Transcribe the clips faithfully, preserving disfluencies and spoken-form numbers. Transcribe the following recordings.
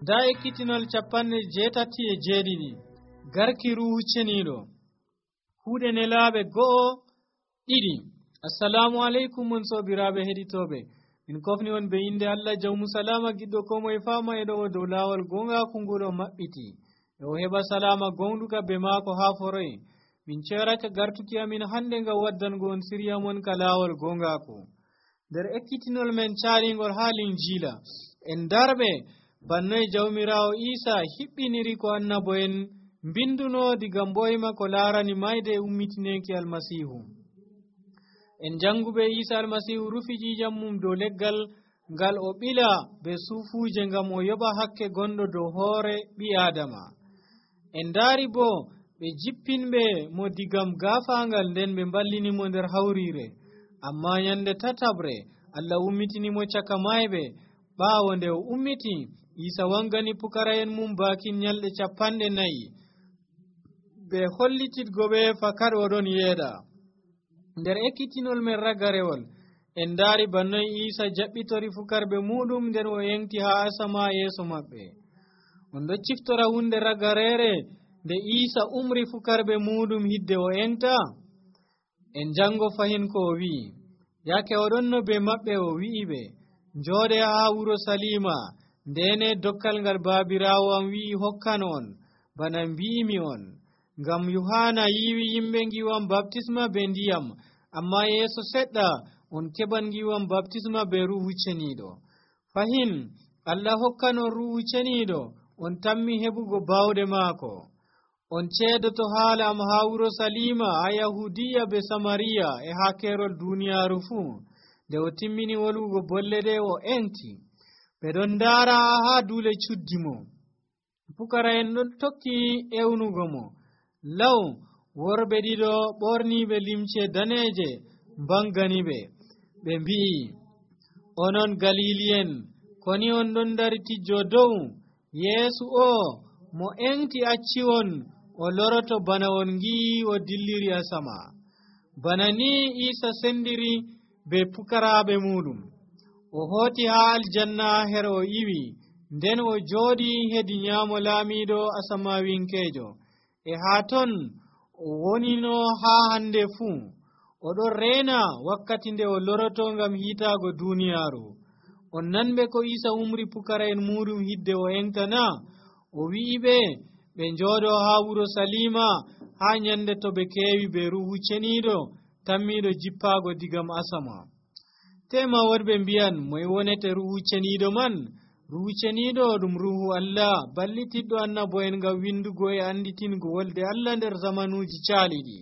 da ekkitinol capanɗe jeetati e jeeɗiɗi garki ruhu ceniiɗo huuɗe nelaaɓe go'o ɗiɗi. assalamu aleykum mon soobiraaɓe heɗitooɓe, min kofni on be inde Allah jawmu salama giɗɗo ko moye faama e ɗo dow laawol gongaaku nguɗo maɓɓiti e o heɓa salama gonɗuka be maako haa foroy. min ceerake gartuki amin hannde ngam waddango on siriya mon ka laawol gongaaku nder ekkitinol men caalingol haa linjiila en darɓe bannoye jawmiraawo Iisa hiɓɓiniri ko annabo'en mbinduno diga mboyma ko laarani mayde ummitineki almasihu. en janguɓe Iisa almasihu rufi ƴiƴam mum dow leggal ngal o ɓila be suufuuje ngam o yoɓa hakke gonɗo dow hoore ɓi Aadama. en daari bo ɓe jippinɓe mo digam gaafaangal nden ɓe mballinimo nder hawriire, amma nyande tatabre Allah ummitinimo caka mayɓe. ɓaawo nde o ummiti, Iisa wangani pukara'en mum baakin nyalɗe capanɗe nayi ɓe hollititgo ɓe fakat oɗon yeeɗa. nder ekkitinol men ragarewol en daari bannoye Iisa jaɓɓitori fukarɓe muɗum nden o yengti haa asama yeeso maɓɓe. on ɗo ciftora hunde ragareere nde Iisa umri fukarɓe muɗum hidde o engta. en jango fahin ko o wi'i yake oɗon no be maɓɓe o wi'i ɓe njooɗe haa wuro Salima ndene dokkal ngal baabiraawo am wi'i hokkan on bana mbi'imi on, ngam Yohana yiwi yimɓe ngiwam baptisma be ndiyam, amma yeeso seɗɗa on keɓan ngiwam baptisma be ruhu ceniiɗo. fahin Allah hokkan on ruhu ceniiɗo on tammi heɓugo bawɗe maako. on ceedoto haala am haa wuro Salima, ha Yahudiya be Samariya e haa keerol duniyaaru fuu. nde o timmini wolwugo bolle ɗe o enti. ɓe ɗon ndaara haa duule cuddi mo. pukara'en ɗon tokki ewnugo mo. law worɓe ɗiɗo ɓorniiɓe limce daneeje mbangani ɓe. ɓe mbi'i, onon Galili'en, koni on ɗon dari tijjo dow? Yeesu o mo engti acci on o loroto bana on ngi'i o dilliri asama. bana ni Iisa sendiri be pukaraaɓe muɗum. o hooti haa aljanna her o iwi, nden o jooɗi hedi nyaamo laamiiɗo asamawinkeejo. e haa ton o wonino haa hande fuu. o ɗon reena wakkati nde o loroto ngam hiitaago duniyaaru. on nanɓe ko Iisa umri pukara'en muɗum hidde o engtana. o wi'i ɓe ɓe njooɗo haa wuro Salima haa nyande to ɓe keewi be ruhu ceniiɗo tammiiɗo jippaago digam asama. tema wonɓe mbiyan moye wonete ruhu ceniiɗo man? ruhu ceniiɗo ɗum ruhu Allah ballitiɗɗo annabo'en ngam windugo e anditingo wolde Allah nder zamanuuji caaliɗi.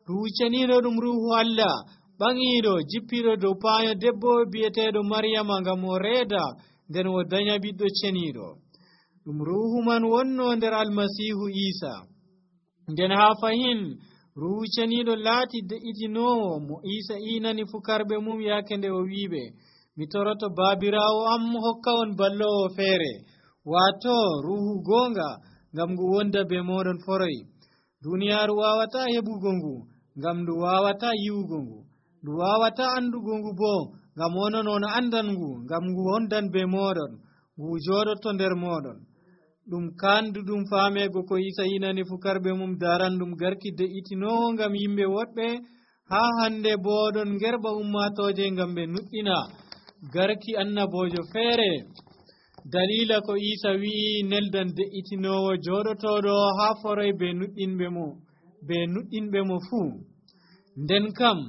ruhu ceniiɗo ɗum ruhu Allah ɓaŋiiɗo jippiiɗo dow paayo debbo bi'eteeɗo Maryama ngam o reeda nden o danya ɓiɗɗo ceniiɗo. ɗum ruhu man wonno nder almasihu Iisa. nden haa fahin ruhu ceniiɗo laati de'itinoowo mo Iisa iinani fukarɓe mum yaake nde o wi'iɓe, mi toroto baabiraawo am hokka on ballowo feere, waato ruhu goonga, ngam ngu wonda be mooɗon foroy. duniyaaru waawata heɓugo ngu, ngam ndu waawata yi'ugo ngu. ndu waawata andugo ngu boo, ngam onon on andan ngu, ngam ngu wondan be mooɗon, ngu jooɗoto nder mooɗon. ɗum kanduɗum faamego ko Iisa yinani fukarɓe mum daranɗum garki de'itinoowo ngam yimɓe woɗɓe. haa hande boo ɗon ngerɓa ummatooje ngam ɓe nuɗɗina garki annabojo feere. dalila ko Iisa wi'i neldan de'itinoowo jooɗotooɗo haa foroy be nuɗɗinɓe mo be nuɗɗinɓe mo fuu. nden kam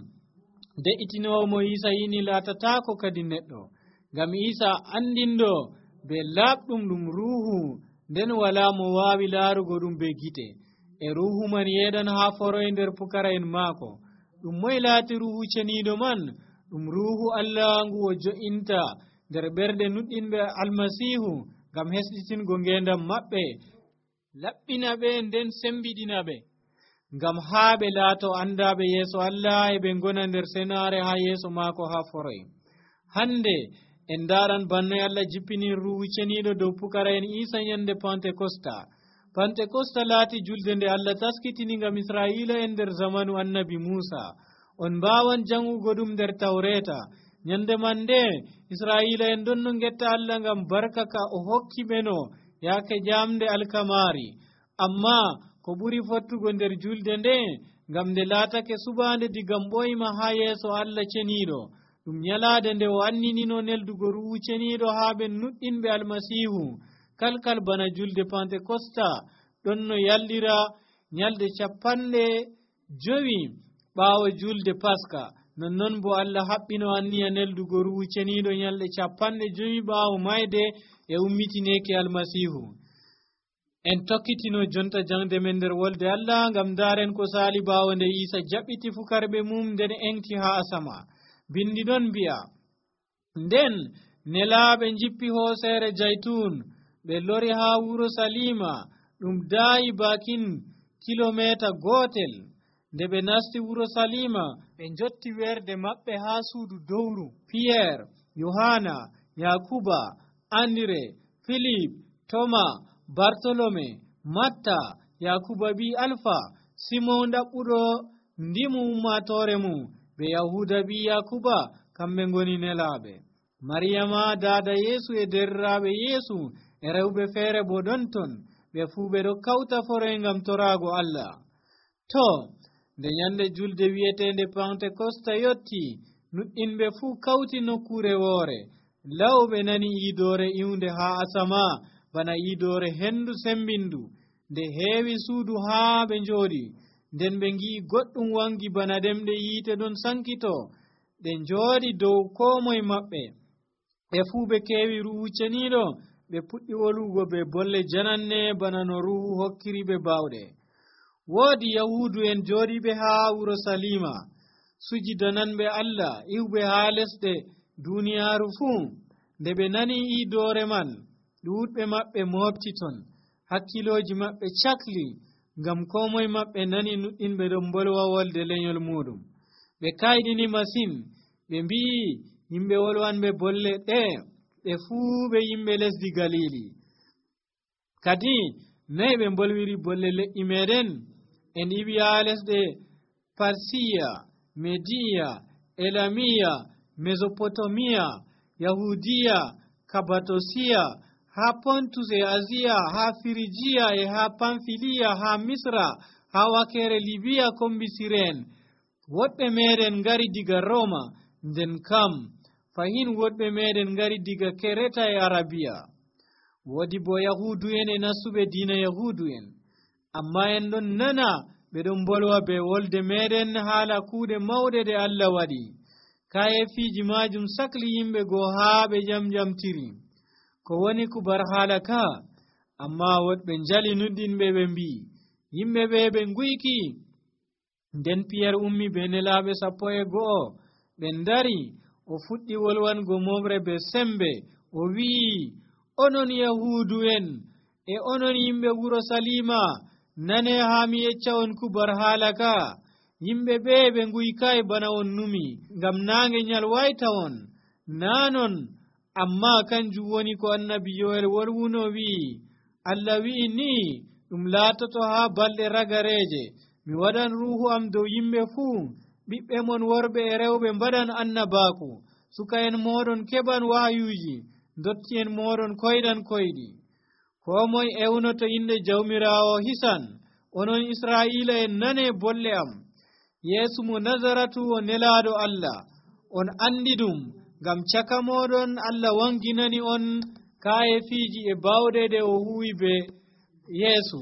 de'itinoowo mo Iisa yini laatataako kadi neɗɗo, ngam Iisa andinɗo be laaɓɗum ɗum ruhu, nden walaa mo waawi laarugo ɗum be gite. e ruhu man yeeɗan haa foroy nder pukara'en maako. ɗum moye laati ruhu ceniiɗo man? ɗum ruhu Allah ngu o jo'inta nder ɓerɗe nuɗɗinɓe almasihu ngam hesɗitingo ngeendam maɓɓe, laɓɓina ɓe nden sembiɗina ɓe, ngam haa ɓe laato andaaɓe yeeso Allah e ɓe ngona nder senaare haa yeeso maako haa foroy. hande en ndaaran bannoye Allah jippinin ruhu ceniiɗo dow pukara'en Iisa nyande Pentekosta. Pentekosta laati julde nde Allah taskitini ngam Israa'iila en nder zamanu annabi Muusa. on mbaawan jangugo ɗum nder Tawreeta. nyande man nde Israila en donno getta Allah ngam barka ka o hokki ɓeno yaake jamde alkamari. Amma ko ɓuri fottugo nder julde nde ngam nde laatake subande digam ɓoyma ha yeeso Allah ceniɗo ɗum nyalade nde o anninino neldugo ruhu ceniɗo ha ɓe nuɗɗinɓe almasihu kalkal bana julde Pentecosta ɗon no yaldira nyalde capanɗe jowi ɓaawo julde Paska. Nonnon bo Allah haɓɓino anniya neldugo ruhu ceniɗo nyalde capanɗe jowi ɓaawo mayde e ummitineke almasihu. En tokkitino jonta jangde men nder wolde Allah ngam daren ko sali ɓaawo nde Isa jaɓɓiti fukarɓe mum nden enki ha asama. Bindi ɗon mbi'a, nden nelaaɓe jippi hoosere jaytun ɓe lori ha wuro Salima ɗum daayi bakin kilometa gotel. Nde ɓe nasti wuro Salima ɓe jotti werde maɓɓe ha suudu dowru. Pierre, Yohana, Yakuba, Andre, Philip, Toma, Bartolome, Matta, Yakuba bi Alfa, Simon ɗaɓɓuɗo ndimu ummatore mum, ɓe Yahuda bi Yakuba, kamɓe ngoni nelaɓe. Mariyama dada Yesu e derraɓe Yesu e rewɓe feere bo ɗon ton, ɓe fuu ɓe ɗo kawta foroy ngam torago Allah. To nde nyande julde wi'etende Pentecosta yotti, nuɗɗinɓe fuu kawti nokkure woore. Law ɓe nani iidore iwnde ha asama bana iidore hendu sembindu nde heewi suudu haa ɓe njooɗi. Nden ɓe ngi'i goɗɗum wangi bana demɗe yiite ɗon sankito ɗe njooɗi dow koo moye maɓɓe. Ɓe fuu ɓe keewi ruhu ceniɗo, ɓe puɗɗi wolugo be bolle jananne bana no ruhu hokkiri ɓe bawɗe. Woodi Yahudu en jooɗiɓe haa wuro Salima, sujidananɓe Allah iwɓe haa lesɗe duniyaaru fuu. Nde ɓe nani iidoore man, ɗuuɗɓe maɓɓe mofti ton, hakkilooji maɓɓe cakli, ngam koo moye maɓɓe nani nuɗɗinɓe ɗon bolwa wolde lenyol muɗum. Ɓe kayɗini masin, ɓe mbi'i yimɓe wolwanɓe bolle ɗe ɓe fuu ɓe yimɓe lesdi Galili. Kadi nayi ɓe bolwiri bolle leƴƴi meɗen? En iwi haa lesɗe Parsiya, Mediya, Elamiya, Mesopotomiya, Yahudiya, Kabatosiya, ha Pontus e Aziya, ha Firijiya e ha Pamfiliya, ha Misra, ha wakere Libiya kombi Siren. Woɗɓe meɗen ngari diga Roma, nden kam fahin woɗɓe meɗen ngari diga Kereta e Arabiya. Woodi bo Yahudu en e nassuɓe diina Yahudu en, amma en ɗon nana ɓe ɗon bolwa be wolde meɗen haala kuuɗe mawɗe ɗe Allah waɗi. Kayefiiji majum sakli yimɓe goo haa ɓe jamjamtiri ko woni kubar haala ka. Amma woɗɓe njali nuɗɗinɓe ɓe mbi'i yimɓe ɓe ɓe nguyki. Nden Piyer ummi be nelaaɓe sappo e go'o ɓe ndari, o fuɗɗi wolwango momre be sembe, o wi'i, onon Yahudu en e onon yimɓe wuro Salima, nane haa mi yecca on kubar haala ka. Yimɓe ɓe ɓe nguykayi bana on numi, ngam naange nyalwayta on. Naanon, amma kanjum woni ko annabi Yoel wolwuno wi'i, Allah wi'i ni ɗum laatoto haa balɗe ragareje, mi waɗan ruhu am dow yimɓe fuu, ɓiɓɓe mon worɓe e rewɓe mbaɗan annabaaku, suka en moɗon keɓan wahayuji, dotti en moɗon koyɗan koyɗi. Koo moye ewnoto inde jawmirawo hisan. Onon Israila en nane bolle am. Yeesu mo Nazaratu o nelaaɗo Allah, on andi ɗum, ngam caka moɗon Allah wanginani on kayefiiji e bawɗe ɗe o huwi be Yeesu.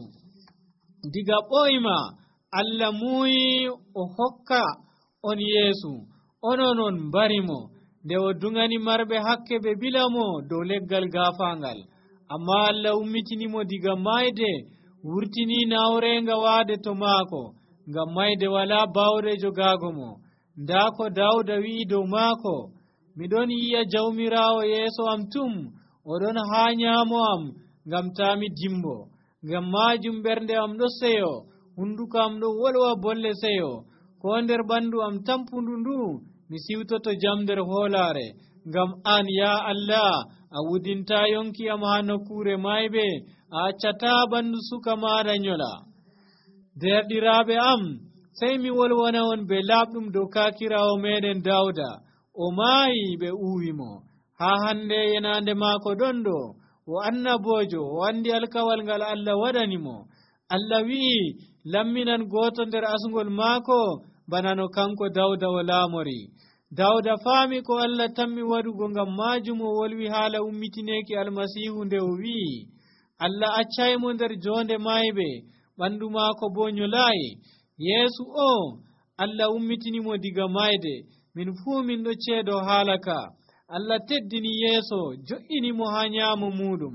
Diga ɓoyma Allah muuyi o hokka on Yeesu, onon on mbarimo, nde o dungani marɓe hakke ɓe bilamo dow leggal gaafaangal. Amma Allah ummitinimo diga mayde, wurtini nawrenga waade to maako, ngam mayde wala bawɗe jogaago mo. Ndaa ko Dawda wi'i dow maako, miɗon yi'a jawmirawo yeeso am tum, oɗon haa nyaamo am, ngam taa mi dimbo. Ngam maajum ɓernde am ɗo seyo, hunduko am ɗo wolwa bolle seyo, ko nder ɓandu am tampundu ndu mi siwtoto jam nder hoolaare. Ngam an ya Allah a wudinta yonki am haa nokkure mayɓe, a accata ɓandu suka maɗa nyola. Derɗiraaɓe am, sey mi wolwana on be laaɓɗum dow kaakirawo meɗen Dawda. o maayi ɓe uwimo haa hande yenande maako ɗon ɗo o annabojo o andi alkawal ngal Allah waɗanimo. Allah wi'i lamminan gooto nder asngol maako bana no kanko Dawda o laamori. Dawda faami ko Allah tammi waɗugo, ngam maajum o wolwi haala ummitineeki almasiihu nde o wi'i Allah accaymo nder joonde mayɓe, ɓandu maako boo nyolaayi. Yeesu o Allah ummitinimo diga mayde, min fuu min ɗo ceedo haala ka. Allah teddini Yeeso jo'inimo haa nyaamo muɗum.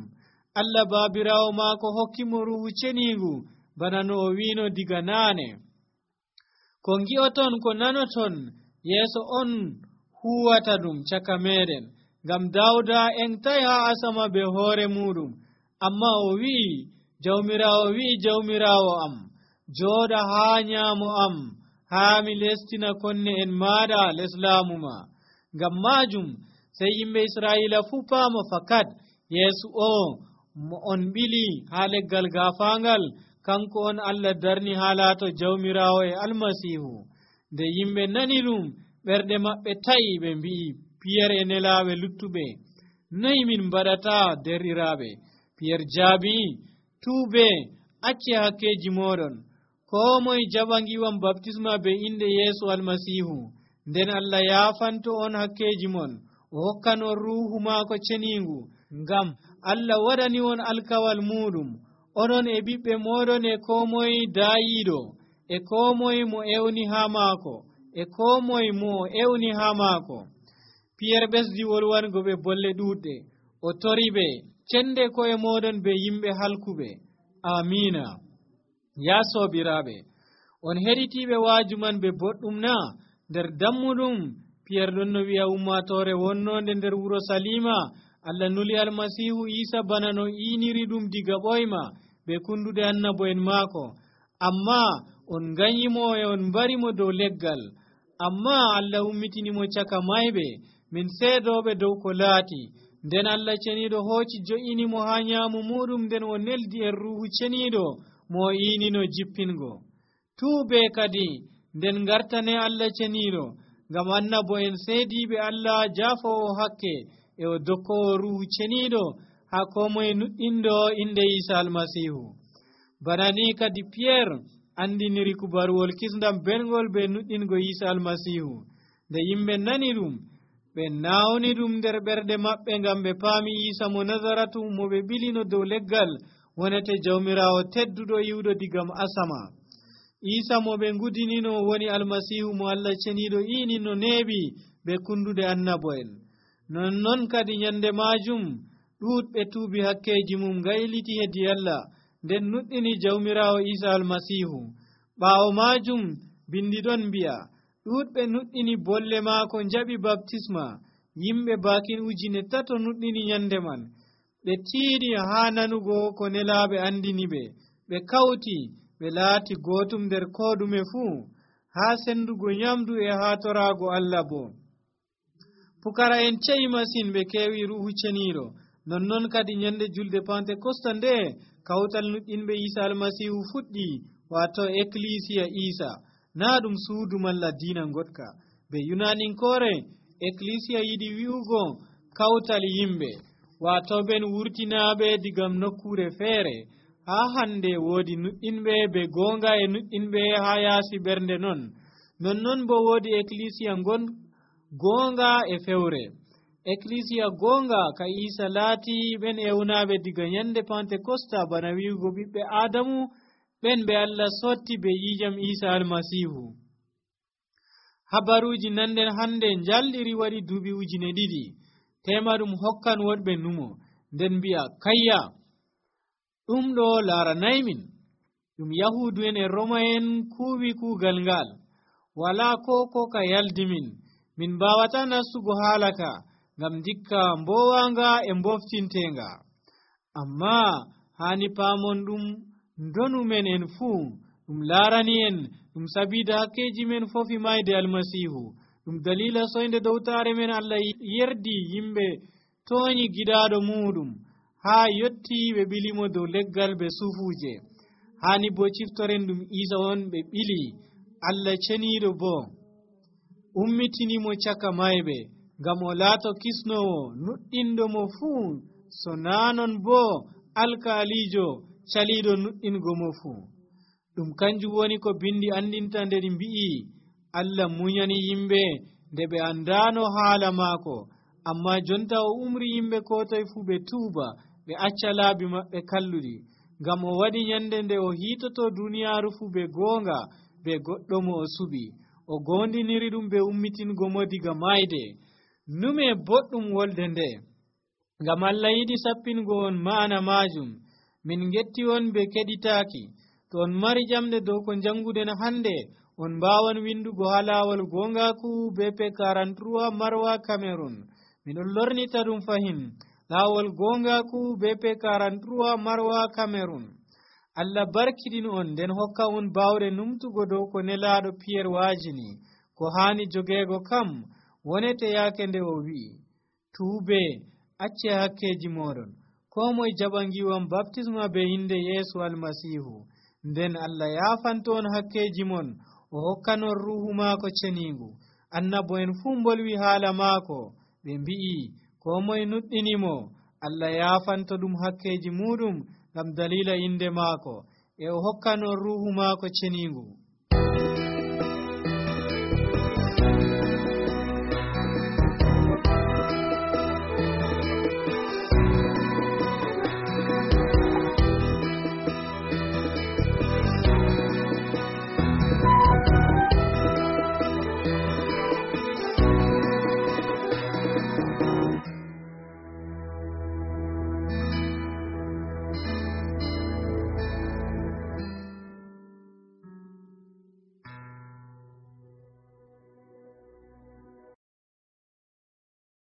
Allah baabiraawo maako hokkimo Ruuhu Ceniingu bana no o wiino diga naane. Ko ngi'oton ko nanoton Yeeso on huwata ɗum caka meɗen, ngam Dawda entay haa asama be hoore muɗum, amma o wi'i Jawmiraawo wi'i Jawmiraawo am, jooɗa haa nyaamo am haa mi lestina konne en maaɗa les laamu ma. Ngam maajum sey yimɓe Israa'iila fuu paama fakat Yeesu o mo on ɓili haa leggal gaafaangal, kanko on Allah darni haa laato Jawmiraawo e Almasiihu. Nde yimɓe nani ɗum, ɓerɗe maɓɓe ta'i, ɓe mbi'i Piyere e nelaaɓe luttuɓe, noy min mbaɗata derɗiraaɓe? Piyere jaabi, tuube, acce hakkeeji mooɗon, koo moye jaɓa ngiwam baptisma be inde Yeesu Almasiihu, nden Allah yaafanto on hakkeeji mon, o hokkan on Ruuhu maako ceniingu, ngam Allah waɗani on alkawal muɗum, onon e ɓiɓɓe mooɗon e koo moye daayiiɗo, e koo moye mo ewni haa maako, e koo moye mo o ewni haa maako. Piyere ɓesdi wolwango ɓe bolle ɗuuɗɗe, o toriɓe, cende koye mooɗon be yimɓe halkuɓe. Amiina. Ya soobiraaɓe, on heɗitiiɓe waaju man be boɗɗum na? Nder dammuɗum Piyere ɗon no wi'a ummatoore wonnonde nder wuro Salima, Allah nuli Almasiihu Iisa bana no iiniri ɗum diga ɓoyma be kundude annabo'en maako, amma on nganyimo e on mbarimo dow leggal. Amma Allah ummitinimo caka mayɓe, min seedooɓe dow ko laati. Nden Allah ceniiɗo hooci jo'inimo haa nyaamu muɗum, nden o neldi en Ruuhu Ceniiɗo mo o iinino jippingo. Tuube kadi nden ngartane Allah ceniiɗo, ngam annabo'en seediiɓe Allah jaafowo hakke e o dokkowo Ruuhu Ceniiɗo haa koo moye nuɗɗindo inde Iisa Almasiihu. Bana ni kadi Piyere andiniri kubaruwol kisndam belngol be nuɗɗingo Iisa Almasiihu. Nde yimɓe nani ɗum, ɓe nawni ɗum nder ɓerɗe maɓɓe, ngam ɓe paami Iisa mo Nazaratu mo ɓe ɓilino dow leggal wonete Jawmiraawo tedduɗo yiwɗo digam asama. Iisa mo ɓe ngudinino woni Almasiihu mo Allah ceniiɗo iini no neeɓi be kundude annabo'en. Nonnon kadi nyande maajum ɗuuɗɓe tuubi hakkeeji mum gayliti hedi Allah, nden nuɗɗini Jawmiraawo Iisa Almasiihu. Ɓaawo maajum bindi ɗon mbi'a ɗuuɗɓe nuɗɗini bolle maako njaɓi baptisma. Yimɓe baakin ujine tato nuɗɗini nyande man. Ɓe tiiɗi haa nanugo ko nelaaɓe andini ɓe, ɓe kawti ɓe laati gootum nder koo ɗume fuu, haa sendugo nyamdu e haa toraago Allah bo. Pukara en ce'i masin ɓe keewi Ruuhu Ceniiɗo. Nonnon kadi nyande julde Pentekosta nde kawtal nuɗɗinɓe Iisa Almasiihu fuɗɗi, waato Ecclesia Iisa, naa ɗum suudu malla diina ngotka. Be Yunaninkoore Ecclesia yiɗi wi'ugo kawtal yimɓe, waato ɓen wurtinaaɓe digam nokkuure feere. Haa hande woodi nuɗɗinɓe be goonga e nuɗɗinɓe haa yaasi ɓernde non. Nonnon bo woodi Ecclesia ngon goonga e fewre. Ecclesia goonga ka Iisa laati ɓen ewnaaɓe diga nyande Pentekosta, bana wi'ugo ɓiɓɓe Aadamu, ɓen ɓe Allah sotti be yiijam Iisa Almasiihu. Habaruuji nannden hande njalɗiri waɗi duuɓi ujine ɗiɗi. Tema ɗum hokkan woɗɓe numo, nden mbi'a kayya ɗum ɗo laaranaymin. Ɗum Yahuudu'en e Roma'en kuuwi kuugal ngal, walaa ko ko ka yaldimin. Min mbaawata nastugo haala ka, ngam ndikka mbowaanga e mboftinteenga. Amma haani paamon ɗum ndonu men en fuu, ɗum laarani en, ɗum sabiida hakkeeji men fofi mayde Almasiihu. Ɗum dalila soynde dowtaare men Allah yerdi yimɓe tooñi giɗaaɗo muɗum, haa yotti ɓe ɓilimo dow leggal be sufuuje. Haani bo ciftoren ɗum Iisa on ɓe ɓili, Allah ceniiɗo bo. ummitinimo caka mayɓe ngam o laato kisnowo nuɗɗinɗo mo fuu so naanon boo alkaaliijo caliiɗo nuɗɗingo mo fuu. ɗum kanjum woni ko bindi andinta nder mbi'i Allah munyani yimɓe nde ɓe andaano haala maako, amma jonta o umri yimɓe ko toye fuu ɓe tuuba ɓe acca laabi maɓɓe kalluɗi, ngam o waɗi nyande nde o hiitoto duniyaaru fuu be goonga be goɗɗo mo o suɓi, o gondiniri ɗum be ummitingo mo diga mayde. nume boɗɗum wolde nde, ngam Allah yiɗi sappingo on ma'ana maajum. min getti on be keɗitaaki. to on mari ƴamɗe dow ko jannguden hannde, on mbaawan windugo ha laawol gongaku B P quarante-trois Marwa Cameroon. miɗon lornita ɗum fahin laawol gongaku B P quarante-trois Marwa Cameroon. Allah barkidin on nden hokka on bawɗe numtugo dow ko nelaaɗo Pierre waajini. ko haani jogeego kam wonete yaake nde o wi'i, tuube acce hakkeji moɗon, ko moye jaɓa ngiwam baptisma be inde Yeesu almasihu, nden Allah yaafanto on hakkeji mon, o hokkanon ruhu maako ceniingu. annabo en fuu mbolwi haala maako, ɓe mbi'i ko moye nuɗɗinimo Allah yaafanto ɗum hakkeji muɗum ngam dalila inde maako, e o hokkanon ruhu maako ceniingu.